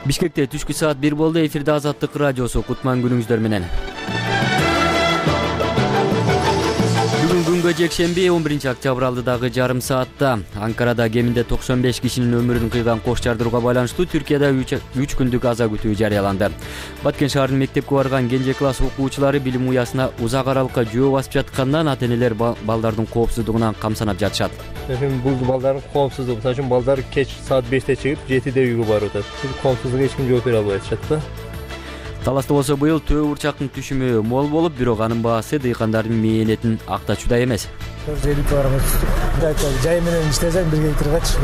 Бишкекте түшкү саат 1 болду. Эфирде Азаттык радиосу. Кутман күнүңүздөр менен. Бүгүн күнгө жекшемби 11 октябрь алдыдагы жарым саатта Анкарада кеминде 95 кишинин өмүрүн кыйган кош жардырууга байланыштуу Түркияда 3 күндүк аза күтүү жарыяланды. Баткен шаарынын мектепке барган кенже класс окуучулары билим уясына узак аралыкка жөө басып жаткандан ата-энелер балдардын коопсуздугунан камсанап жатышат. Бул балдардын коопсуздугу, мисалы үчүн балдар кеч саат 5те чыгып, 7де үйгө барып атат. Бул коопсуздукка эч ким жооп бере албай атышат да. Таласта болсо быйыл төө бурчактын түшүмү мол болуп, бирок анын баасы дыйкандардын мээнетин актачуудай эмес. Жай менен иштесең 1 гектаргач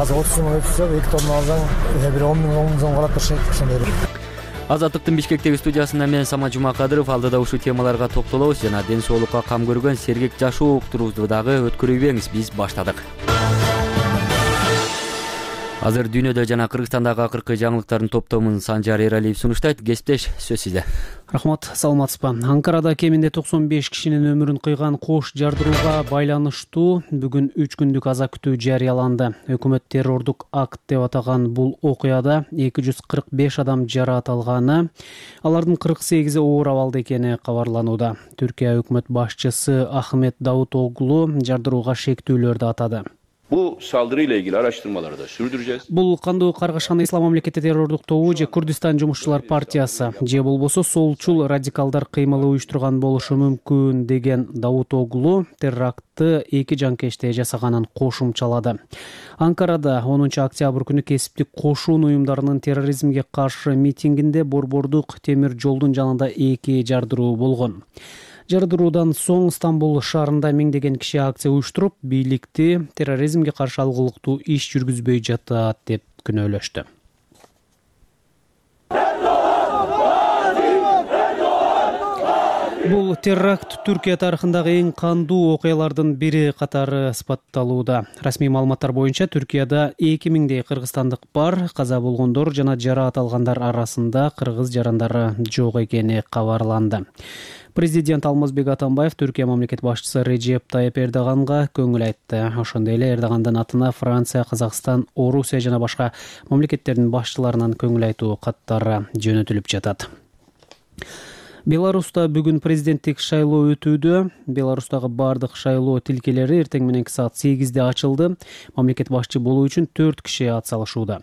азыр 30 сом өтсө 2 тонна алсаң, бир 10 миң сом калат турушат ошондой. Азаттыктын Бишкектеги студиясында мен Самат Жумакадыров. Алдыда ушул темаларга токтолобуз жана ден соолукка кам көргөн сергек жашоо уктуруубузду дагы өткөрүбеңиз. Биз баштадык. Азыр дүйнөдө жана Кыргызстандагы акыркы жаңылыктардын топтомун Санжар Эралиев сунуштайт. Кесиптеш, сөз сизде. Рахмат, саламатсызбы. Анкарада кеминде 95 кишинин өмүрүн кыйган кош жардырууга байланыштуу бүгүн 3 күндүк аза күтүү жарыяланды. Өкмөт террордук акт деп атаган бул окуяда 245 адам жараат алганы, алардын 48-и оор абалда экени кабарланууда. Түркия өкмөт башчысы Ахмет Давутоглу жардырууга шектүүлөрдү атады. Bu saldırıyla ilgili araştırmaları da sürdüreceğiz. Бул кандуу каргашкан ислам мамлекети террордук тобу же Курдистан жумушчулар партиясы же болбосо солчул радикалдар кыймылы уюштурган болушу мүмкүн деген Давутоглу терактты 2 жанкечте жасаганын кошумчалады. Анкарада 10 октябрь күнү кесиптик кошун уюмдарынын терроризмге каршы митингинде борбордук темир жолдун жанында 2 жардыруу болгон. Жардыруудан соң Стамбул шаарында миңдеген киши акция уюштуруп, бийликти терроризмге каршы алгылыктуу иш жүргүзбөй жатат деп күнөөлөштү. Бул теракт Түркия тарыхындагы эң кандуу окуялардын бири катары ысбатталууда. Расмий маалыматтар боюнча Түркияда 2000дей кыргызстандык бар. Каза болгондор жана жараат алгандар арасында кыргыз жарандары жок экени кабарланды. Президент Алмазбек Атамбаев Түркия мамлекет башчысы Режеп Тайып Эрдоганга көңүл айтты. Ошондой эле Эрдогандын атына Франция, Казакстан, Орусия жана башка мамлекеттердин башчыларынан көңүл айтуу каттары жөнөтүлүп жатат. Беларуста бүгүн президенттик шайлоо өтүүдө. Беларустагы бардык шайлоо тилкелери эртең мененки саат 8де ачылды. Мамлекет башчы болуу үчүн 4 киши ат салышууда.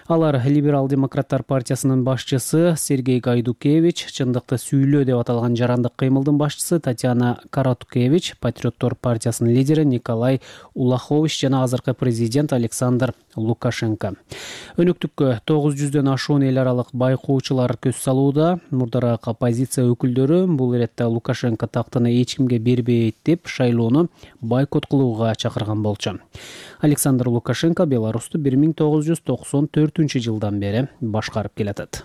Алар Либерал-демократтар партиясынын башчысы Сергей Гайдукевич, чындыкты сүйлөө деп аталган жарандык кыймылдын башчысы Татьяна Караткевич, Патриоттор партиясынын лидери Николай Улахович жана азыркы президент Александр Лукашенко. Өнөктүккө 900дөн ашуун эл аралык байкоочулар көз салууда. Мурдараак оппозиция өкүлдөрү бул иретте Лукашенко тактыны эч кимге бербейт деп шайлоону бойкот кылууга чакырган болчу. Александр Лукашенко Беларусту 1994-жылдан бери башкарып келатат.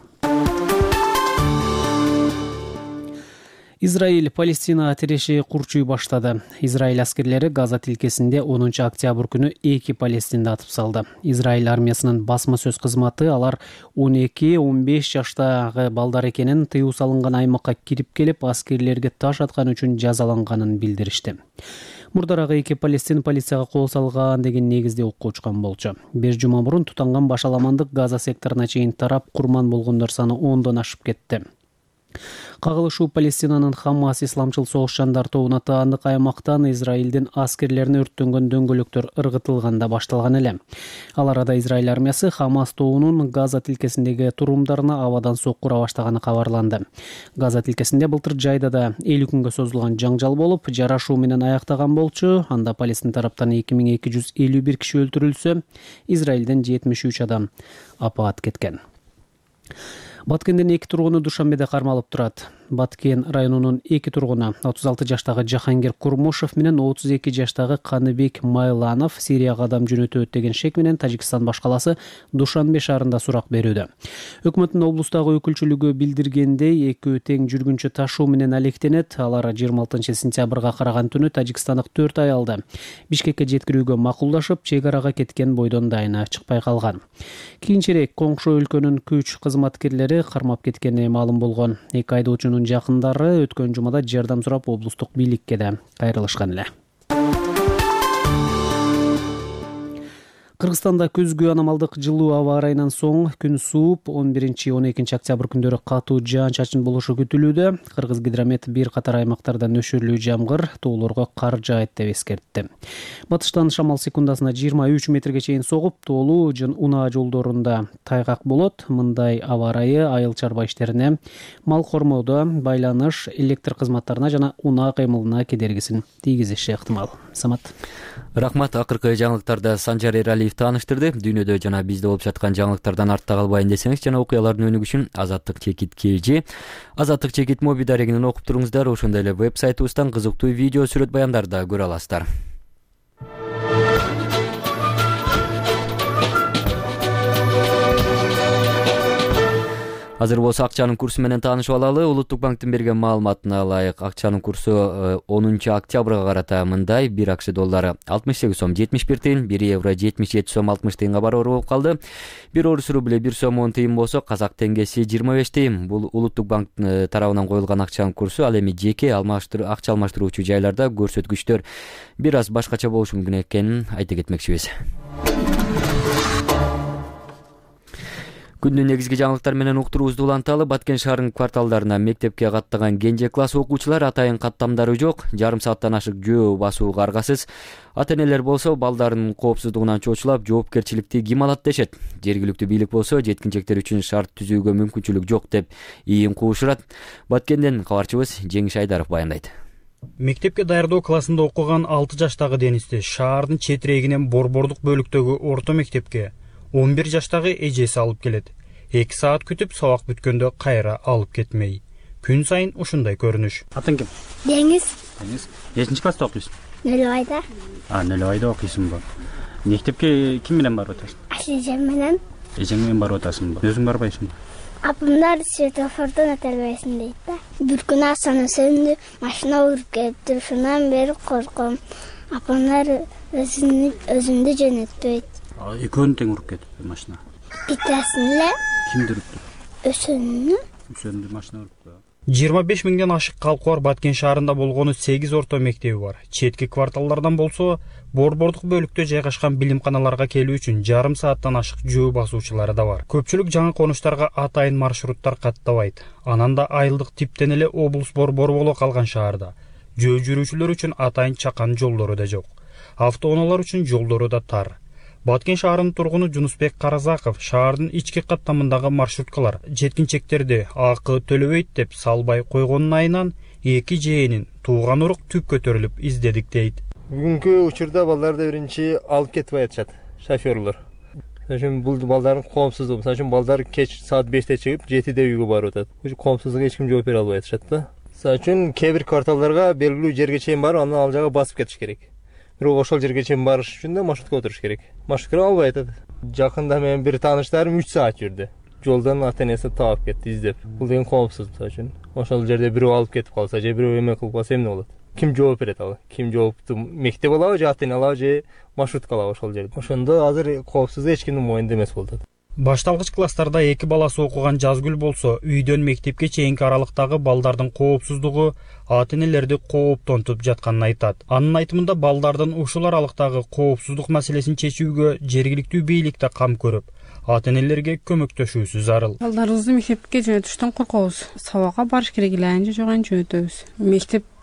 Израиль Палестина тиреши курчуй баштады. Израиль аскерлери Газа тилкесинде 10 октябрь күнү 2 палестинди атып салды. Израиль армиясынын басма сөз кызматы алар 12-15 жаштагы балдар экенин, тыюу салынган аймакка кирип келип аскерлерге таш аткан үчүн жазаланганын билдиришти. Мурдарагы 2 палестин полицияга кол салган деген негизде окко учкан болчу. 5 жума мурун тутанган башаламандык Газа секторуна чейин тарап, курман болгондор саны 10дон ашып кетти. Кагылышуу Палестинанын Хамас исламчыл согушчандар тобуна таандык аймактан Израилдин аскерлерине өрттөнгөн дөңгөлөктөр ыргытылганда башталган эле. Ал арада Израиль армиясы Хамас тобунун Газа тилкесиндеги турумдарына абадан соккура баштаганы кабарланды. Газа тилкесинде былтыр жайда да 50 күнгө созулган жаңжал болуп, жарашуу менен аяктаган болчу. Анда Палестин тараптан 2251 киши өлтүрүлсө, Израилден 73 адам апаат кеткен. Баткендин 2 тургуну Душанбеде кармалып турат. Баткен районунун 2 тургуну 36 жаштагы Жахангир Курмушев менен 32 жаштагы Каныбек Майланов Сирияга адам жөнөтөт деген шек менен Тажикстан башкаласы Душанбе шаарында сурак берүүдө. Өкмөттүн облустагы өкүлчүлүгү билдиргендей, экөө тең жүргүнчү ташуу менен алектенет. Алар 26 сентябрга караган түнү тажикстандык 4 аялды Бишкекке жеткирүүгө макулдашып, чек арага кеткен бойдон дайына чыкпай калган. Кийинчерээк коңшу өлкөнүн күч кызматкерлери кармап кеткени маалым болгон. 2 айдоочунун жакындары өткөн жумада жардам сурап облустук бийликке да кайрылышкан эле. Кыргызстанда күзгү аномалдык жылуу аба ырайынан соң күн сууп 11-12 октябрь күндөрү катуу жаан-чачын болушу күтүлүүдө. Кыргызгидромет бир катар аймактарда нөшөрлүү жамгыр, тоолорго кар жаайт деп эскертти. Батыштан шамал секундасына 23 метрге чейин согуп, тоолуу унаа жолдорунда тайгак болот. Мындай аба ырайы айыл чарба иштерине, мал кормоодо, байланыш, электр кызматтарына жана унаа кыймылына кедергисин тийгизиши ыктымал. Самат. Рахмат. Акыркы жаңылыктарда Санжар Эралиев тааныштырды. Дүйнөдө жана бизде болуп жаткан жаңылыктардан артта калбайын десеңиз жана окуялардын өнүгүшүн Азаттык Чекит KG, Азаттык Чекит моби дарегинен окуп туруңуздар. Ошондой эле веб-сайтыбыздан кызыктуу видео, сүрөт баяндарды да көрө аласыздар. Азыр болсо акчанын курсу менен таанышып алалы. Улуттук банктын берген маалыматына ылайык акчанын курсу 10 октябрга карата мындай: 1 акш доллары 68 сом 71 тыйын, 1 евро 77 сом 60 тыйынга баруур болуп калды. 1 орус рубль 1 сом 10 тыйын болсо, казак теңгеси 25 тыйын. Бул Улуттук банк тарабынан коюлган акчанын курсу. Ал эми жеке акча алмаштыруучу жайларда көрсөткүчтөр бир аз башкача болушу мүмкүн экенин айта кетмекчибиз. Күндүн негизги жаңылыктар менен уктуруубузду уланталы. Баткен шаарынын кварталдарына мектепке каттаган кенже класс окуучулар атайын каттамдары жок, жарым сааттан ашык жөө басууга аргасыз. Ата-энелер болсо балдарынын коопсуздугунан чочулап, жоопкерчиликти ким алат дешет. Жергиликтүү бийлик болсо жеткинчектер үчүн шарт түзүүгө мүмкүнчүлүк жок деп ийин куушурат. Баткенден кабарчыбыз Жеңиш Айдаров баяндайт. Мектепке даярдоо классында окуган 6 жаштагы Денисти шаардын четирегинен борбордук бөлүктөгү орто мектепке 11 жаштагы эжеси алып келет. 2 саат күтүп, сабак бүткөндө кайра алып кетмей. Күн сайын ушундай көрүнүш. Атың ким? Деңиз. Деңиз. Нечинчи класста окуйсуң? 0-айда. 0-айда окуйсуңбу? Мектепке ким менен барып атасың? Эжем менен. Эжең менен барып атасыңбы? Өзүң барбайсыңбы? Апамдар светофордон өтө бербесин дейт да. Бир күнү асаны сөндү, машина уруп кетти. Ушундан бери корком. Апамдар өзүндү жөнөтпөйт. Экөөнү тең уруп кетип машина. Биттесин эле. Кимди урупту? Өсөндү машина урупту. 25 миңден ашык калкы бар Баткен шаарында болгону 8 орто мектеби бар. Четки кварталдардан болсо, борбордук бөлүктө жайгашкан билимканаларга келүү үчүн жарым сааттан ашык жөө басуучулары да бар. Көпчүлүк жаңы конуштарга атайын маршруттар каттабайт. Анан да айылдык типтен эле облус борбору боло калган шаарда жөө жүрүүчүлөр үчүн атайын чакан жолдору да жок. Автоунаалар үчүн жолдору да тар. Баткен шаарынын тургуну Жунусбек Каразаков шаардын ички каттамындагы маршруткалар жеткинчектерди акы төлөбөйт деп салбай койгонун айынан 2 жээнин тууган урук түп көтөрүлүп издедик дейт. Бүгүнкү учурда балдарды биринчи алып кетип атышат шофёрлор. Ошон бул балдардын коопсуздугу. Ошон балдар кеч саат 5те чыгып, 7де үйгө барып атат. Ушу коопсуздукка эч ким жооп бере албай атышат да. Ошон кээ бир кварталдарга белгилүү жерге чейин барып, андан ал жага басып кетиш керек. Бирок ошол жерге чейин барыш үчүн да маршрутка отуруш керек. Маршрутка албай атат. Жакында менин бир тааныштарым 3 саат жүрдү. Жолдон ата-энеси таап кетти издеп. Бул деген коопсуз үчүн. Ошол жерде бирөө алып кетип калса, же бирөө эме кылып калса эмне болот? Ким жооп берет ал? Ким жоопту? Мектеп алабы, же ата-эне алабы, же маршрутка алабы ошол жерде? Ошондо азыр коопсуздук эч кимдин моюнда эмес болуп атат. Башталгыч класстарда 2 баласы окуган Жазгүл болсо, үйдөн мектепке чейинки аралыктагы балдардын коопсуздугу ата-энелерди кооптонтуп жатканын айтат. Анын айтымында балдардын ушул аралыктагы коопсуздук маселесин чечүүгө жергиликтүү бийлик да кам көрүп, ата-энелерге көмөктөшүүсү зарыл. Балдарыбызды мектепке жөнөтүштөн коркобуз. Сабакка барыш керек эле, анча жок жөнөтөбүз. Мектепке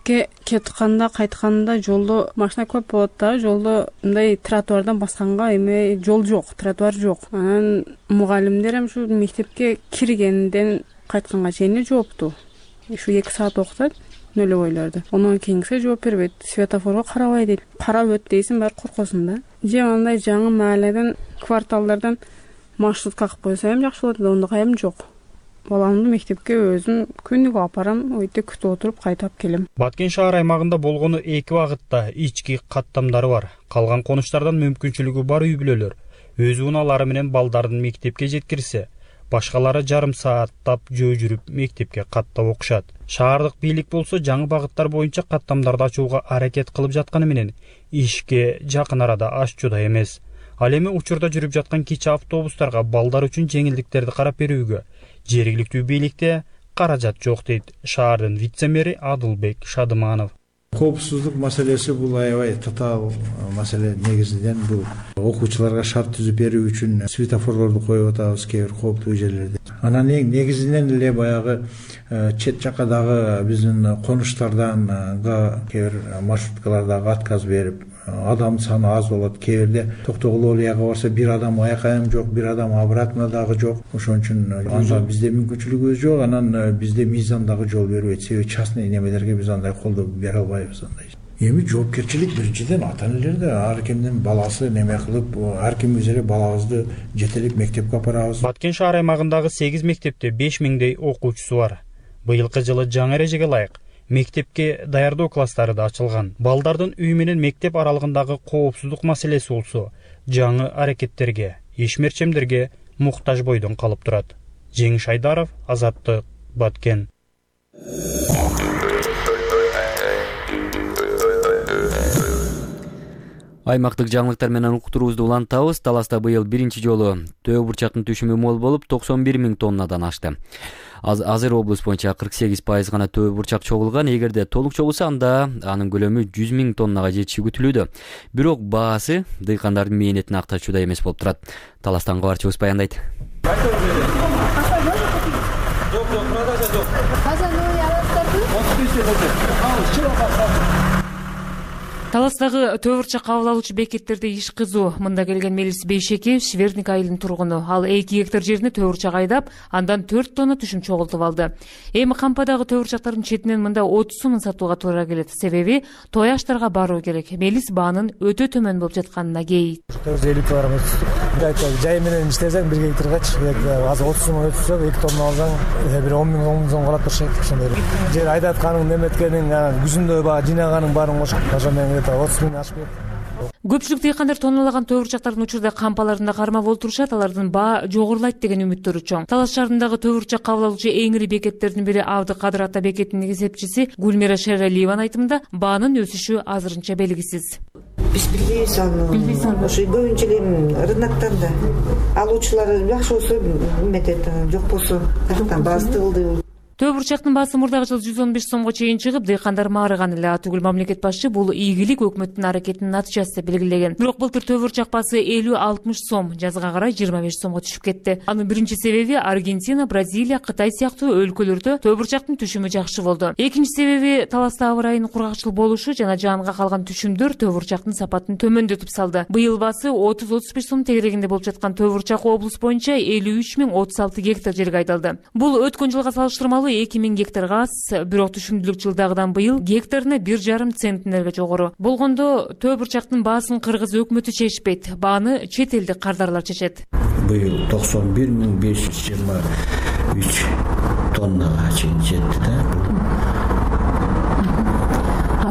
кетканда, кайтканда жолдо машина көп болот да, жолдо мындай тротуардан басканга эме жол жок, тротуар жок. Анан мугалимдер ушу мектепке киргенден кайтканга чейин жоопту. Ушу 2 саат окутат нөлөгөйлөрдү. Онун кийинкисе жооп бербейт. Светофорго карабай дейт. Карап өт дейсиң, баары коркосуң да. Же андай жаңы мааледен, кварталдардан маршрутка кылып койсо эми жакшы болот, ондой эми жок. Баламды мектепке өзүм күнүгө апарам, өйдө күтүп отуруп кайтап келем. Баткен шаар аймагында болгону 2 багытта ички каттамдары бар. Калган конуштардан мүмкүнчүлүгү бар үй бүлөлөр өз унаалары менен балдарын мектепке жеткирсе, башкалары жарым сааттап жөө жүрүп мектепке каттап окушат. Шаардык бийлик болсо жаңы багыттар боюнча каттамдарды ачууга аракет кылып жатканы менен ишке жакын арада ачууда эмес. Ал эми учурда жүрүп жаткан кичи автобустарга балдар үчүн жеңилдиктерди карап берүүгө жергиликтүү бийликте каражат жок дейт шаардын вице-мэри Адылбек Шадыманов. Коопсуздук маселеси бул аябай татаал маселе. Негизинен бул окуучуларга шарт түзүп берүү үчүн светофорлорду коюп атабыз кээ бир кооптуу жерлерде. Анан негизинен эле баягы чет жакадагы биздин конуштардан кээ бир маршруткалардагы отказ берип, адам саны аз болот. Кээ бирде токтогул олияга барса бир адам аякайым жок, бир адам обратно дагы жок. Ошон үчүн анда бизде мүмкүнчүлүгүбүз жок. Анан бизде мыйзам дагы жол бербейт. Себеби частный немелерге биз андай колдоо бере албайбыз андай. Эми жоопкерчилик биринчиден ата энелерде, ар кимдин баласы неме кылып, ар кимибиз эле балабызды жетелеп мектепке апарабыз. Баткен шаар аймагындагы 8 мектепте 5000дей окуучусу бар. Быйылкы жылы жаңы эрежеге ылайык мектепке даярдоо класстары да ачылган. Балдардын үй менен мектеп аралыгындагы коопсуздук маселеси болсо жаңы аракеттерге, ишмерчемдерге муктаж бойдон калып турат. Жеңиш Айдаров, Азаттык, Баткен. Аймактык жаңылыктар менен уктуруубузду улантабыз. Таласта быйыл биринчи жолу төө бурчактын түшүмү мол болуп 91 000 тоннадан ашты. Азыр облус боюнча 48% гана төө бурчак чогулган. Эгерде толук чогулса, анда анын көлөмү 100 000 тоннага жетиши күтүлүүдө. Бирок баасы дыйкандардын мээнетине актачуудай эмес болуп турат. Таластан кабарчыбыз баяндайт. Таластагы төө бурчак кабыл алуучу бекеттерде иш кызуу. Мында келген Мелис Бейшекеев Шверник айылынын тургуну. Ал 2 гектар жерине төө бурчак айдап, андан 4 тонна түшүм чогултуп алды. Эми кампадагы төө бурчактардын четинен мында 30 сомун сатууга туура келет. Себеби той аштарга баруу керек. Мелис баанын өтө төмөн болуп жатканына кейит. 450 барам өтүп. Жай менен иштесең 1 гектаргачы азыр 30 сом өтүп, 2 тонна алсаң, бир 10 000 сом калат турушат. Ошондой. Жер айдатканың, неметкениң, күзүндө баа жыйнаганың баарын кошуп, ошондон 30 000 ашып кетти. Көпчүлүк дыйкандар тонналаган төө бурчактардын учурда кампаларында кармап олтурушат, алардын баа жогорулайт деген үмүттөрү чоң. Талас шаарындагы төө бурчак кабыл алуучу эң ири бекеттердин бири Абды Кадыр ата бекетинин эсепчиси Гүлмира Шералиеванын айтымында баанын өсүшү азырынча белгисиз. Биз билбейбиз аны. Ошо көбүнчө эле рыноктарда алуучулар жакшы болсо эметет, жок болсо каяктан баасы тыгылды. Төө бурчактын баасы мурдагы жылы 115 сомго чейин чыгып, дыйкандар маарыган эле. Атүгүл мамлекет башчы бул ийгилик өкмөттүн аракетинин натыйжасы деп белгилеген. Бирок былтыр төө бурчак баасы 50-60 сом, жазга карай 25 сомго түшүп кетти. Анын биринчи себеби Аргентина, Бразилия, Кытай сыяктуу өлкөлөрдө төө бурчактын түшүмү жакшы болду. Экинчи себеби Таласта аба ырайынын кургакчыл болушу жана жанга калган түшүмдөр төө бурчактын сапатын төмөндөтүп салды. Быйыл баасы 30-35 сом тегерегинде болуп жаткан төө бурчак облус боюнча 53 036 гектар жерге айдалды. Бул өткөн жылга салыштырмалуу 2000 гектарга аз, бирок түшүмдүүлүк жылдагыдан быйыл гектарына 1,5 центнерге жогору. Болгондо төө бурчактын баасын Кыргыз өкмөтү чечпейт, бааны чет элдик кардарлар чечет. Быйыл 91 523 тоннага чейин жетти да.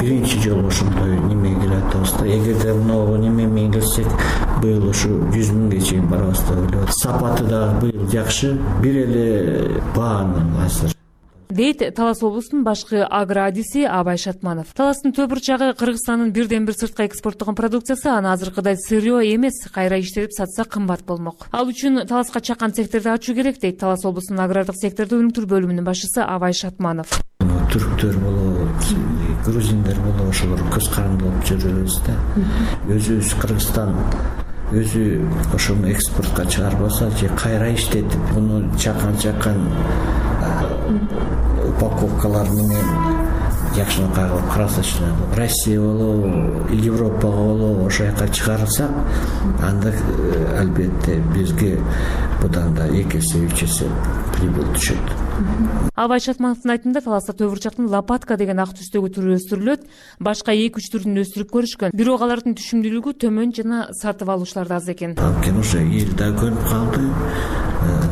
Биринчи жолу ошондой неме келип атабыз да. Эгерде мына неме менен келсек, быйыл ушу 100 000ге чейин барабыз деп ойлойт. Сапаты да быйыл жакшы, бир эле баанын азыр дейт Талас облусунун башкы агроадиси Абай Шатманов. Таластын төө бурчагы Кыргызстандын бирден бир сыртка экспорттогон продукциясы, аны азыркыдай сырьё эмес, кайра иштелип сатса кымбат болмок. Ал үчүн Таласка чакан секторду ачуу керек дейт Талас облусунун агрардык секторду өнүктүрүү бөлүмүнүн башчысы Абай Шатманов. Түрктөр болобу, грузиндер болобу, ошолор көз каранды болуп жүрөбүз да. Өзүбүз Кыргызстан өзү ошону экспортко чыгарбаса же кайра иштетип, муну чакан упаковкалар менен жакшынакай кылып красочный Россия болобу, Европага болобу ошол жака чыгарсак, анда албетте бизге будан да 2 эсе 3 эсе прибыль түшөт. Абай Шатмановдун айтымында Таласта төө бурчактын лопатка деген ак түстөгү түрү өстүрүлөт, башка 2-3 түрүн өстүрүп көрүшкөн. Бирок алардын түшүмдүүлүгү төмөн жана сатып алуучулар да аз экен. Анткени уже эл да көнүп калды.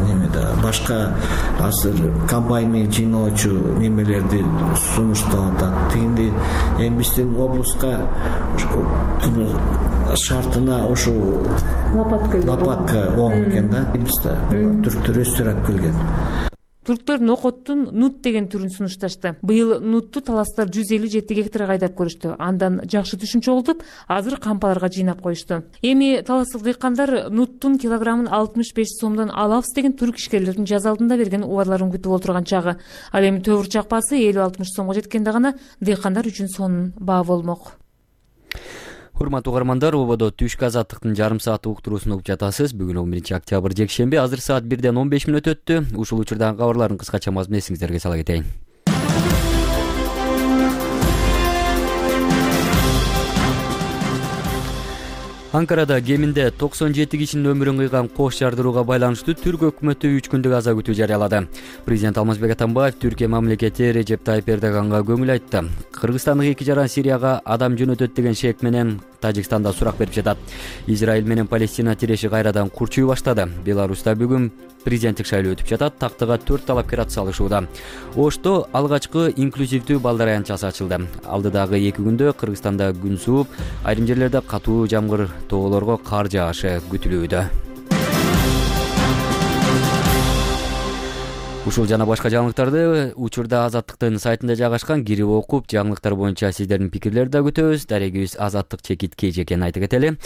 Немеде башка азыр комбайнмен жыйноочу немелерди сунуштап атат. Тигинде эми биздин облуска шартына ошо лопатка оң экен да. Бизде түрктөр өстүрүп келген. Түрктөр нокоттун нут деген түрүн сунушташты. Быйыл нутту таластар 157 гектарга айдап көрүштү. Андан жакшы түшүнчө болуп, азыр кампаларга жыйнап коюшту. Эми таластык дыйкандар нуттун килограммын 65 сомдон алабыз деген түрк ишкерлердин жаз алдында берген убадаларын күтүп отурган чагы. Ал эми төвүрчак баасы 50-60 сомго жеткенде гана дыйкандар үчүн сонун баа болмок. Урматтуу угармандар, ободо түшкү азаттыктын жарым саат уктуруусун угуп жатасыз. Бүгүн 11 октябрь жекшемби, азыр саат 1ден 15 мүнөт өттү. Ушул учурдагы кабарлардын кыскача мазмунун эсиңиздерге сала кетейин. Анкарада кеминде 97 кишинин өмүрүн кыйган кош жардырууга байланыштуу Түрк өкмөтү 3 күндүк аза күтүү жарыялады. Президент Алмазбек Атамбаев Түркия мамлекети Режеп Тайып Эрдоганга көңүл айтты. Кыргызстандык 2 жаран Сирияга адам жөнөтөт деген шек менен Тажикстанда сурак берип жатат. Израиль менен Палестина тиреши кайрадан курчуй баштады. Беларуста бүгүн президенттик шайлоо өтүп жатат. Тактыга 4 талапкер атсалышууда. Ошто алгачкы инклюзивдүү балдар аянтчасы ачылды. Алдыдагы 2 күндө Кыргызстанда күн сууп, айрым жерлерде катуу жамгыр, тоолорго кар жаашы күтүлүүдө. Ушул жана башка жаңылыктарды учурда Азаттыктын сайтында жайгашкан кирип окуп, жаңылыктар боюнча сиздердин пикирлерди да күтөбүз. Дарегибиз Азаттык _kj экенин айтып кетели.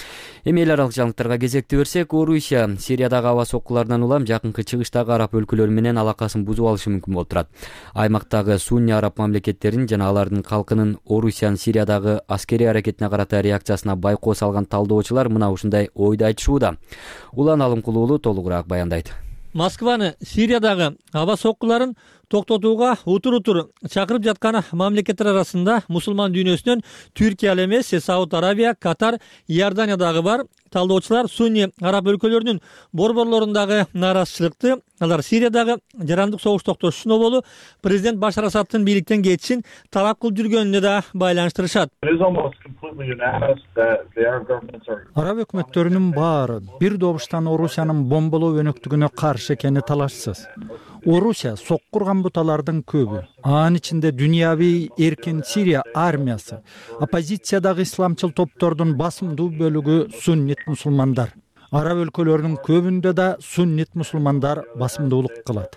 Эми эл аралык жаңылыктарга кезекти берсек, Орусия Сириядагы аба соккуларынан улам жакынкы чыгыштагы араб өлкөлөрү менен алакасын бузуп алышы мүмкүн болуп турат. Аймактагы сунни араб мамлекеттерин жана алардын калкынын Орусиянын Сириядагы аскерий аракетине карата реакциясына байкоо салган талдоочулар мына ушундай ойду айтышууда. Улан Алымкулуулу толугураак баяндайт. Москваны Сириядагы аба соккуларын токтотууга утур чакырып жаткан мамлекеттер арасында мусулман дүйнөсүнөн Түркия эле эмес, Сауд Арабия, Катар, Иордания дагы бар. Талдоочулар сунни араб өлкөлөрүнүн борборлорундагы нааразычылыкты алар Сириядагы жарандык согуш токтотушуна болуу президент Башар Асадтын бийликтен кетишин талап кылып жүргөнүнө да байланыштырышат. Араб өкмөттөрүнүн баары бир добуштан Орусиянын бомбалоо өнөктүгүнө каршы экени талашсыз. Орусия соккурган буталардын көбү, анын ичинде дүйнөви эркин Сирия армиясы, оппозициядагы исламчыл топтордун басымдуу бөлүгү суннит мусулмандар. Араб өлкөлөрүнүн көбүндө да суннит мусулмандар басымдуулук кылат.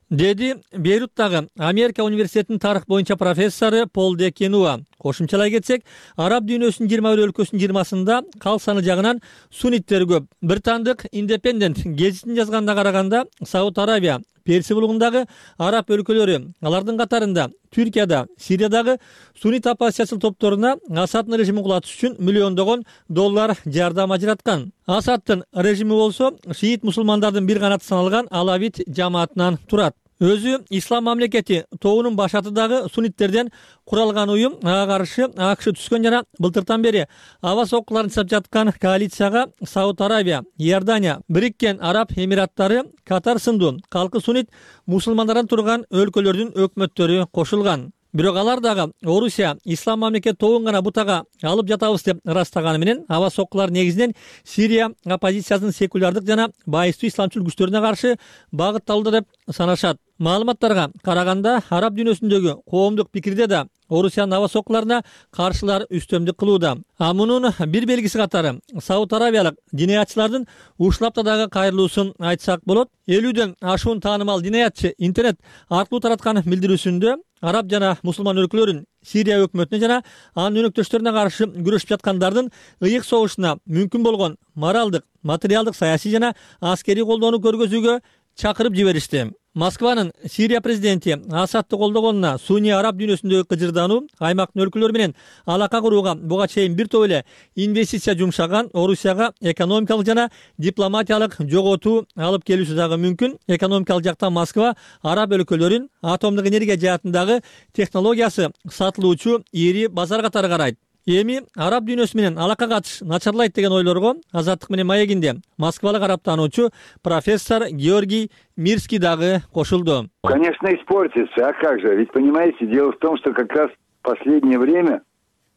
Деди Бейруттагы Америка университетинин тарых боюнча профессору Пол де Кенуа. Кошумчалай кетсек, араб дүйнөсүнүн 21 өлкөсүнүн 20-сында кал саны жагынан сунниттер көп. Британдык Independent гезитин жазганда караганда, Сауд Арабия, Персия булугундагы араб өлкөлөрү, алардын катарында Түркияда, Сириядагы суннит оппозициячыл топторуна Асаддын режимин кулатыш үчүн миллиондогон доллар жардам ажыраткан. Асаддын режими болсо шиит мусулмандардын бир канаты саналган Алавит жамаатынан турат. Өзү ислам мамлекети тоонун башаты дагы сунниттерден куралган уюм ага каршы акш түскөн жана былтыртан бери аба соккуларын жасап жаткан коалицияга Сауд Арабия, Иордания, Бириккен Араб Эмираттары, Катар сындуу калкы суннит мусулмандардан турган өлкөлөрдүн өкмөттөрү кошулган. Бирок алар дагы Орусия ислам мамлекет тоон гана бутага алып жатабыз деп ырастаганы менен аба соккулар негизинен Сирия оппозициясынын секулярдык жана байыстуу исламчыл күчтөрүнө каршы багытталды деп санашат. Маалыматтарга караганда араб дүйнөсүндөгү коомдук пикирде да Орусиянын аба соккуларына каршылар үстөмдүк кылууда. А мунун бир белгиси катары Сауд Арабиялык динаятчылардын ушлапта дагы кайрылуусун айтсак болот. 50дөн ашуун таанымал динаятчы интернет аркылуу тараткан билдирүүсүндө араб жана мусулман өлкөлөрүн Сирия өкмөтүнө жана анын өнөктөштөрүнө каршы күрөшүп жаткандардын ыйык согушуна мүмкүн болгон моралдык, материалдык, саясий жана аскерий колдоону көргөзүүгө чакырып жиберишти. Москванын Сирия президенти Асадты колдогонуна сунни араб дүйнөсүндөгү кыжырдануу аймактын өлкөлөрү менен алака курууга буга чейин бир топ эле инвестиция жумшаган Орусияга экономикалык жана дипломатиялык жоготуу алып келүүсү дагы мүмкүн. Экономикалык жактан Москва араб өлкөлөрүн атомдук энергия жаатындагы технологиясы сатылуучу ири базар катары карайт. Эми араб дүйнөсү менен алака катыш начарлайт деген ойлорго Азаттык менен маегинде москвалык арабтануучу профессор Георгий Мирский дагы кошулду. Конечно, испортится, а как же? Ведь понимаете, дело в том, что как раз в последнее время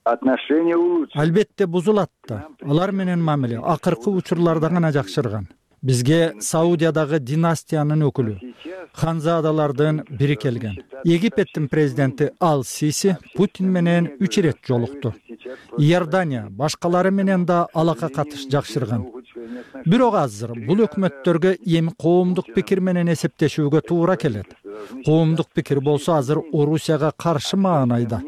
отношения улучшились. Албетте бузулат да. Алар менен мамиле акыркы учурларда гана жакшырган. Бизге Саудиядагы династиянын өкүлү ханзадалардын бири келген. Египеттин президенти Ал-Сиси Путин менен 3 ирет жолукту. Иордания башкалары менен да алака катыш жакшырган. Бирок азыр бул өкмөттөргө эми коомдук пикир менен эсептешүүгө туура келет. Коомдук пикир болсо азыр Орусияга каршы маанайда.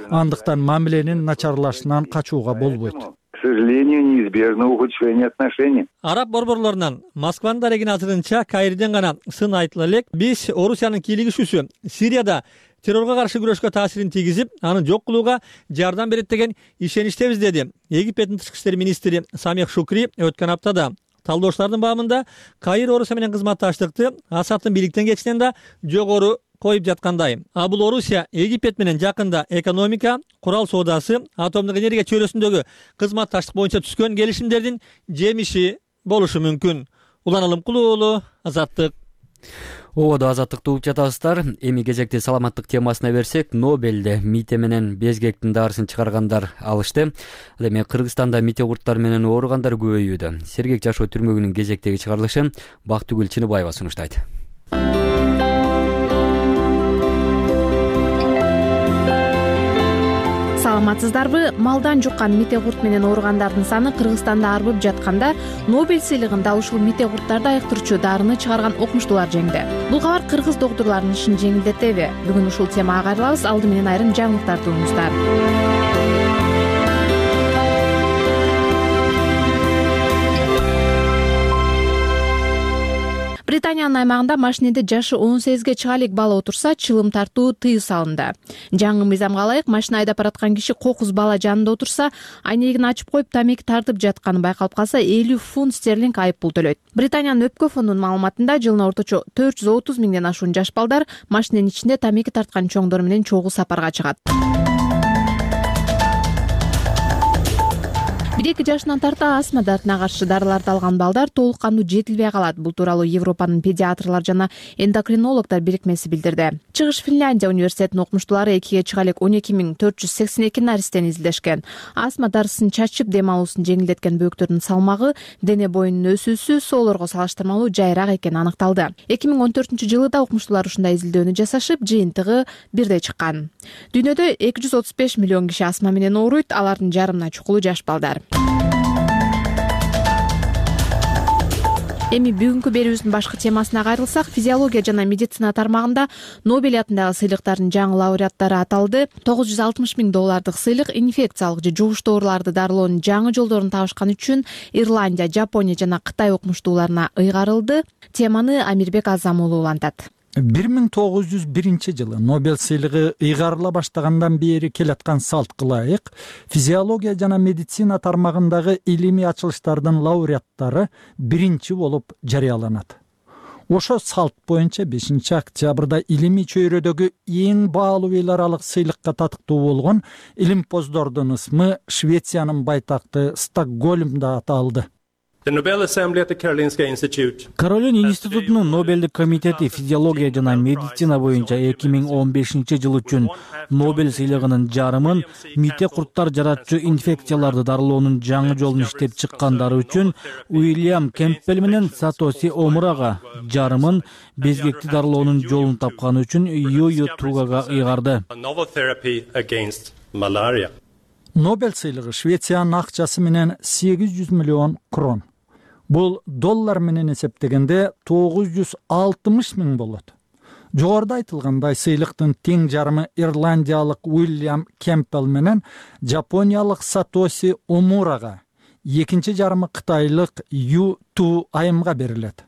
Андыктан мамиленин начарлашынан качууга болбойт. К сожалению, неизбежно ухудшение отношений. Араб борборлорунан Москванын дарегин азырынча Каирден гана сын айтыла элек. Биз Орусиянын кийлигишүүсү Сирияда террорго каршы күрөшкө таасирин тийгизип, аны жок кылууга жардам берет деген ишеничтебиз, деди Египеттин тышкы иштер министри Самех Шукри өткөн аптада. Талдоочулардын баамында Каир Орусия менен кызматташтыкты Асадтын бийликтен кетишинен да жогору коюп жаткандай. А бул Орусия Египет менен жакында экономика, курал соодасы, атомдук энергия чөйрөсүндөгү кызматташтык боюнча түзгөн келишимдердин жемиши болушу мүмкүн. Улан Алымкулуу уулу, Азаттык. Ободо Азаттыкты угуп жатасыздар. Эми кезекти саламаттык темасына берсек, Нобелде мите менен безгектин дарысын чыгаргандар алышты. Ал эми Кыргызстанда мите курттар менен ооругандар көбөйүүдө. Сергек жашоо түрмөгүнүн кезектеги чыгарылышы Бактыгүл Чыныбаева сунуштайт. Саламатсыздарбы? Малдан жуккан мите курт менен ооругандардын саны Кыргызстанда арбып жатканда Нобель сыйлыгын дал ушул мите курттарды айыктырчу дарыны чыгарган окумуштуулар жеңди. Бул кабар кыргыз доктурларынын ишин жеңилдетеби? Бүгүн ушул темага кайрылабыз. Алды менен айрым жаңылыктарды угуңуздар. Британиянын аймагында машинеде жашы 18ге чыга элек бала отурса, чылым тартуу тыюу салынды. Жаңы мыйзамга ылайык машина айдап бараткан киши кокуз бала жанында отурса, айнегин ачып коюп тамеки тартып жатканы байкалып калса 50 фунт стерлинг айып пул төлөйт. Британиянын өпкө фондунун маалыматында жылына орточо 430 миңден ашуун жаш балдар машиненин ичинде тамеки тарткан чоңдор менен чогуу сапарга чыгат. 1-2 жашынан тарта астма дартына каршы дарыларды алган балдар толук кандуу жетилбей калат. Бул тууралуу Европанын педиатрлар жана эндокринологдор бирикмеси билдирди. Чыгыш Финляндия университетинин окумуштуулары 2ге чыга элек 12.482 наристени изилдешкен. Астма дарысын чачып дем алуусун жеңилдеткен бөөктөрдүн салмагы дене боюнун өсүүсү соолорго салыштырмалуу жайыраак экени аныкталды. 2014-жылы да окумуштуулар ушундай изилдөөнү жасашып, жыйынтыгы бирдей чыккан. Дүйнөдө 235 миллион киши астма менен ооруйт, алардын жарымына чукулу жаш балдар. Эми бүгүнкү берүүбүздүн башкы темасына кайрылсак, физиология жана медицина тармагында Нобель атындагы сыйлыктардын жаңы лауреаттары аталды. $960 миң сыйлык инфекциялык же жугуштуу ооруларды дарылоонун жаңы жолдорун табышкан үчүн Ирландия, Жапония жана Кытай окумуштууларына ыйгарылды. Теманы Амирбек Азам уулу улантат. 1901-жылы Нобель сыйлыгы ыйгарыла баштагандан бери келаткан салтка ылайык физиология жана медицина тармагындагы илимий ачылыштардын лауреаттары биринчи болуп жарыяланат. Ошо салт боюнча 5-октябрда илимий чөйрөдөгү эң баалуу эл аралык сыйлыкка татыктуу болгон илимпоздордун ысмы Швециянын байтакты Стокгольмда аталды. Каролин институтунун Нобелдик комитети физиология жана медицина боюнча 2015-жыл үчүн Нобель сыйлыгынын жарымын мите курттар жаратчу инфекцияларды дарылоонун жаңы жолун иштеп чыккандары үчүн Уильям Кемпбелл менен Сатоси Омурага, жарымын безгекти дарылоонун жолун тапканы үчүн Юю Тугага ыйгарды. Нобель сыйлыгы Швециянын акчасы менен 800 миллион крон. Бул доллар менен эсептегенде 960 миң болот. Жогоруда айтылгандай сыйлыктын тең жарымы ирландиялык Уильям Кемпбелл менен жапониялык Сатоси Омурага, экинчи жарымы кытайлык Ю Ту Айымга берилет.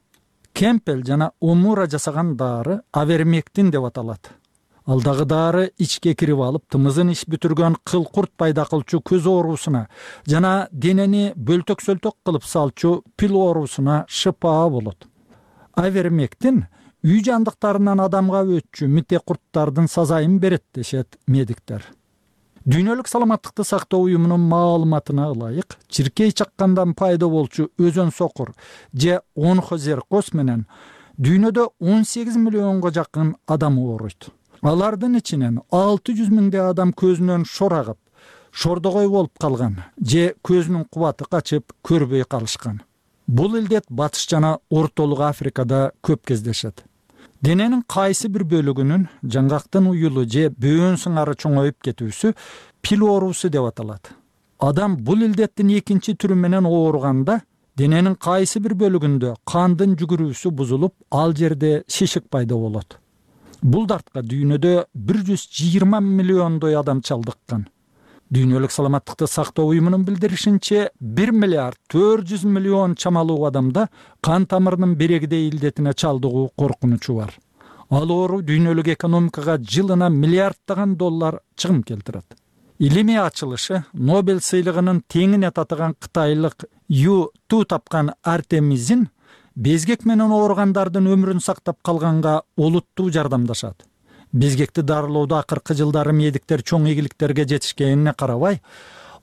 Кемпбелл жана Омура жасаган дары авермектин деп аталат. Алдагы дары ичке кирип алып, тымызын иш бүтүргөн кыл-курт пайда кылчу көз оорусуна жана денени бөлтөк-сөлтөк кылып салчу пил оорусуна шыпаа болот. Авермектин үй жандыктарынан адамга өтчү мите курттардын сазайын берет дешет медиктер. Дүйнөлүк саламаттыкты сактоо уюмунун маалыматына ылайык, чиркей чаккандан пайда болчу өзөн сокур же онхозеркоз менен дүйнөдө 18 миллионго жакын адам ооруйт. Алардын ичинен 600 миңдей адам көзүнөн шор агып, шордогой болуп калган же көзүнүн кубаты качып көрбөй калышкан. Бул илдет Батыш жана Ортолук Африкада көп кездешет. Дененин кайсы бир бөлүгүнүн жаңгактын уюлу же бөөн сыңары чоңоюп кетүүсү пил оорусу деп аталат. Адам бул илдеттин экинчи түрү менен ооруганда дененин кайсы бир бөлүгүндө кандын жүгүрүүсү бузулуп, ал жерде шишик пайда болот. Бул дартка дүйнөдө 120 миллиондой адам чалдыккан. Дүйнөлүк саламаттыкты сактоо уюмунун билдиришинче 1 миллиард 400 миллион чамалуу адамда кан тамырынын берегидей илдетине чалдыгуу коркунучу бар. Ал оору дүйнөлүк экономикага жылына миллиарддаган доллар чыгым келтирет. Илимий ачылышы Нобель сыйлыгынын теңине татыган кытайлык Ю Ту тапкан Артемизин безгек менен ооругандардын өмүрүн сактап калганга олуттуу жардамдашат. Безгекти дарылоодо акыркы жылдары медиктер чоң ийгиликтерге жетишкенине карабай,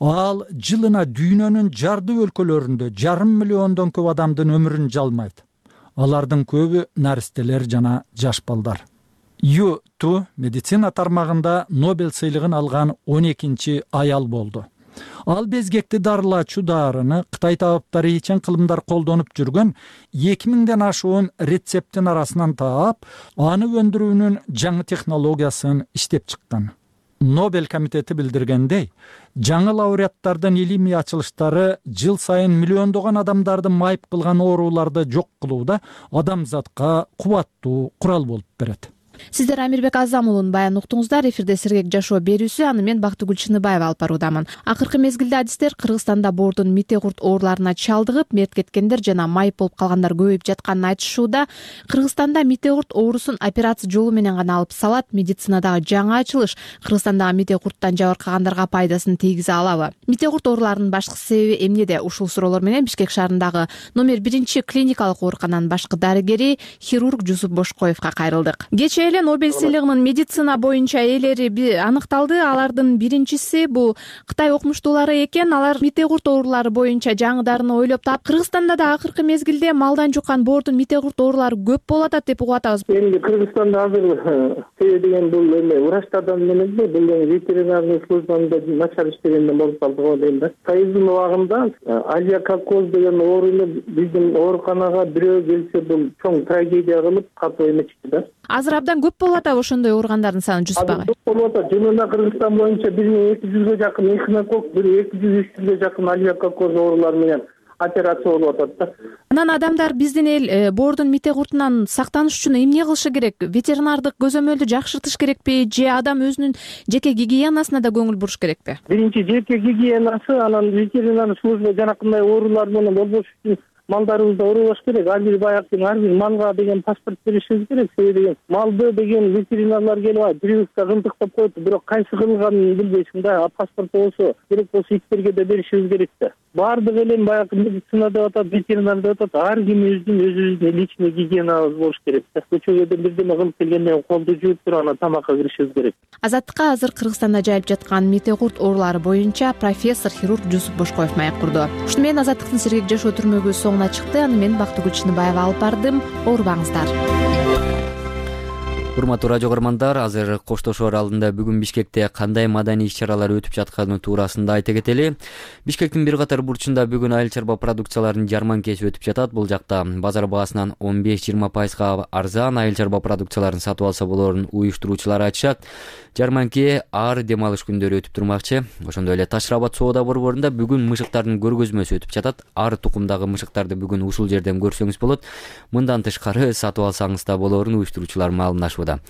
ал жылына дүйнөнүн жардуу өлкөлөрүндө 500 миллиондон көп адамдын өмүрүн жалмайт. Алардын көбү наристелер жана жаш балдар. Ю Ту медицина тармагында Нобель сыйлыгын алган 12-чи аял болду. Ал безгекти дарылаачу дарыны Кытай табыптары ичен кылымдар колдонуп жүргөн 2000ден ашуун рецепттин арасынан таап, аны өндүрүүнүн жаңы технологиясын иштеп чыккан. Нобель комитети билдиргендей, жаңы лауреаттардын илимий ачылыштары жыл сайын миллиондогон адамдарды майып кылган ооруларды жок кылууда адамзатка кубаттуу курал болуп берет. Сиздер Амирбек Азам уулун баян уктуңуздар. Эфирде сергек жашоо берүүсү, аны мен Бактыгүл Чыныбаева алып баруудамын. Акыркы мезгилде адистер Кыргызстанда боордун мите курт ооруларына чалдыгып, мерт кеткендер жана майып болуп калгандар көбөйүп жатканын айтышууда. Кыргызстанда мите курт оорусун операция жолу менен гана алып салат. Медицинадагы жаңы ачылыш Кыргызстандагы мите курттан жабыркагандарга пайдасын тийгизе алабы? Мите курт ооруларынын башкы себеби эмнеде? Ушул суроолор менен Бишкек шаарындагы номер 1 клиникалык оорукананын башкы дарыгери хирург Жусуп Бошкоевго кайрылдык. Нобель сыйлыгынын медицина боюнча ээлери аныкталды. Алардын биринчиси бул Кытай окумуштуулары экен. Алар мите курт оорулары боюнча жаңы дарыны ойлоп таап, Кыргызстанда да акыркы мезгилде малдан жуккан боордун мите курт оорулары көп болуп атат деп угуп атабыз. Эми Кыргызстанда азыр деген бул врачтардан эмес, бул ветеринарный службада начар иштегенден болуп калды го дейм да. Союздун убагында алиакокоз деген ооруну биздин ооруканага бирөө келсе бул чоң трагедия кылып катуу эметчү да. Азыр абдан көп болуп атабы ошондой ооругандардын саны Жусуп агай? Көп болуп атат. Жөнүндө Кыргызстан боюнча 1200ге жакын эхинокок, 200-300ге жакын алиакокоз оорулары менен операция болуп атат да. Анан адамдар биздин эл боордун мите куртунан сактаныш үчүн эмне кылышы керек? Ветеринардык көзөмөлдү жакшыртыш керекпи же адам өзүнүн жеке гигиенасына да көңүл буруш керекпи? Биринчи жеке гигиенасы, анан ветеринар служба жанакындай оорулар менен болбош үчүн малдарыбызды урубаш керек. Ар бир баяктын ар бир малга деген паспорт беришибиз керек. Себеби малды деген ветеринарлар келип прививка кылдыктап коет, бирок кайсы кылганын билбейсиң да. Паспорт болсо, керек болсо иттерге да беришибиз керек да. Бардык элем баягы медицина деп атат, ветеринар деп атат. Ар кимибиздин өзүбүздүн личный гигиенабыз болуш керек да. Көчөгө бирдеме кылып келгенден колду жууп туруп анан тамакка киришибиз керек. Азаттыкка азыр Кыргызстанда жайып жаткан мите курт оорулары боюнча профессор хирург Жусуп Бошкоев маек курду. Ушуну менен Азаттыктын сергек жашоо түрмөгү соңуна чыкты. Аны мен Бактыгүл Чыныбаева алып бардым. Оорубаңыздар. Урматтуу радио көрөрмандар, азыр коштошоор алдында бүгүн Бишкекте кандай маданий иш-чаралар өтүп жатканы туурасында айта кетели. Бишкектин бир катар бурчунда бүгүн айыл чарба продукцияларынын жарманкеси өтүп жатат. Бул жакта базар баасынан 15-20% арзан айыл чарба продукцияларын сатып алса болоорун уюштуруучулар айтышат. Жарманке ар дем алыш күндөрү өтүп турмакчы. Ошондой эле Таш Рабат соода борборунда бүгүн мышыктардын көргөзмөсү өтүп жатат. Ар тукумдагы мышыктарды бүгүн ушул жерден көрсөңүз болот. Мындан тышкары сатып алсаңыз да болоорун уюштуруучулар маалымдашууда.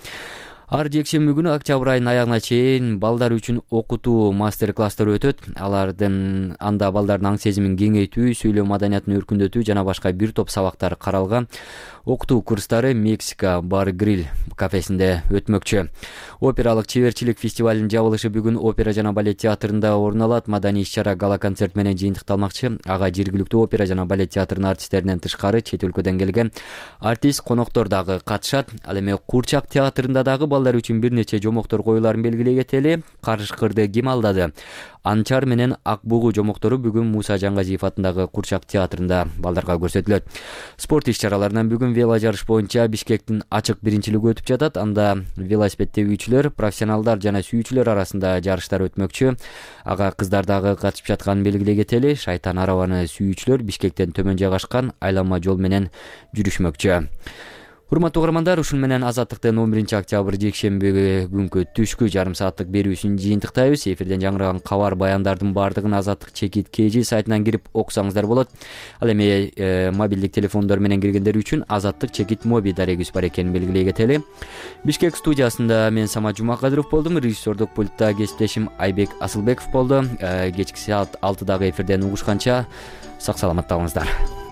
Ар жекшемби күнү октябрь айынын аягына чейин балдар үчүн окутуу мастер-класстар өтөт. Анда балдардын аң сезимин кеңейтүү, сүйлөө маданиятын өркүндөтүү жана башка бир топ сабактар каралган. Окутуу курстары Мексика бар гриль кафесинде өтмөкчү. Опералык чеберчилик фестивалынын жабылышы бүгүн опера жана балет театрында орун алат. Маданий иш-чара гала концерт менен жыйынтыкталмакчы. Ага жергиликтүү опера жана балет театрынын артисттеринен тышкары чет өлкөдөн келген артист коноктор дагы катышат. Ал эми Курчак театрында дагы балдар үчүн бир нече жомоктор коюларын белгилей кетели. Карышкырды ким алдады? Анчар менен Ак бугу жомоктору бүгүн Муса Жангазиев атындагы Курчак театрында балдарга көрсөтүлөт. Спорт иш-чараларынан бүгүн вело жарыш боюнча Бишкектин ачык биринчилиги өтүп жатат. Анда велосипед тебүүчүлөр, профессионалдар жана сүйүүчүлөр арасында жарыштар өтмөкчү. Ага кыздар дагы катышып жатканын белгилей кетели. Шайтан арабаны сүйүүчүлөр Бишкектен төмөн жайгашкан айланма жол менен жүрүшмөкчү. Урматтуу угармандар, ушун менен Азаттыктын 11 октябрь жекшемби күнкү түшкү жарым сааттык берүүсүн жыйынтыктайбыз. Эфирден жаңыраган кабар баяндардын баардыгын Азаттык чекит KG сайтынан кирип окусаңыздар болот. Ал эми мобилдик телефондор менен киргендер үчүн Азаттык чекит моби дарегибиз бар экенин белгилей кетели. Бишкек студиясында мен Самат Жумакадыров болдум. Режиссердук пультта кесиптешим Айбек Асылбеков болду. Кечки саат 6дагы эфирден угушканча сак саламатта болуңуздар.